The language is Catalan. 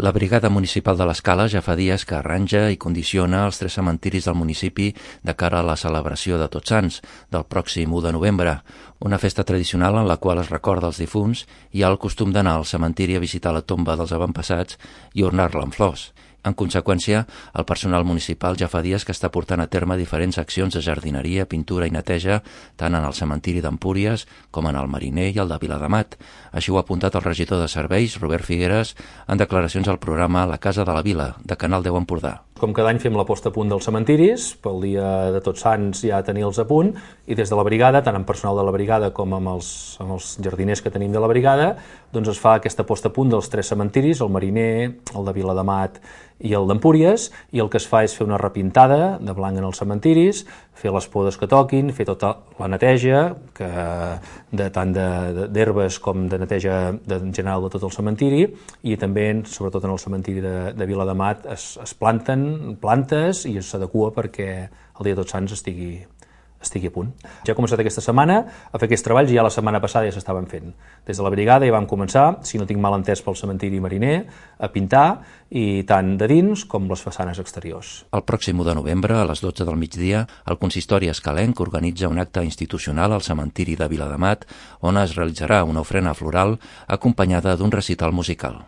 La Brigada Municipal de l'Escala ja fa dies que arranja i condiciona els 3 cementiris del municipi de cara a la celebració de Tots Sants, del pròxim 1 de novembre, una festa tradicional en la qual es recorda els difunts i hi ha el costum d'anar al cementiri a visitar la tomba dels avantpassats i ornar-la amb flors. En conseqüència, el personal municipal ja fa dies que està portant a terme diferents accions de jardineria, pintura i neteja tant en el cementiri d'Empúries com en el Mariner i el de Viladamat. Així ho ha apuntat el regidor de Serveis, Robert Figueres, en declaracions al programa La Casa de la Vila, de Canal 10 Empordà. Com cada any fem la posta a punt dels cementiris, pel dia de Tots Sants ja tenir-los a punt, i des de la brigada, tant amb personal de la brigada com amb els jardiners que tenim de la brigada, doncs es fa aquesta posta a punt dels 3 cementiris, el Mariner, el de Viladamat i el d'Empúries, i el que es fa és fer una repintada de blanc en els cementiris, fer les podes que toquin, fer tota la neteja, tant d'herbes com de neteja en general de tot el cementiri, i també, sobretot en el cementiri de Viladamat, es planten plantes i s'adequa perquè el dia de Tots Sants estigui a punt. Ja he començat aquesta setmana a fer aquests treballs i ja la setmana passada ja s'estaven fent. Des de la brigada ja vam començar, si no tinc mal entès pel cementiri Mariner, a pintar, i tant de dins com les façanes exteriors. El pròxim 1 de novembre, a les 12 del migdia, el consistori escalenc organitza un acte institucional al cementiri de Viladamat on es realitzarà una ofrena floral acompanyada d'un recital musical.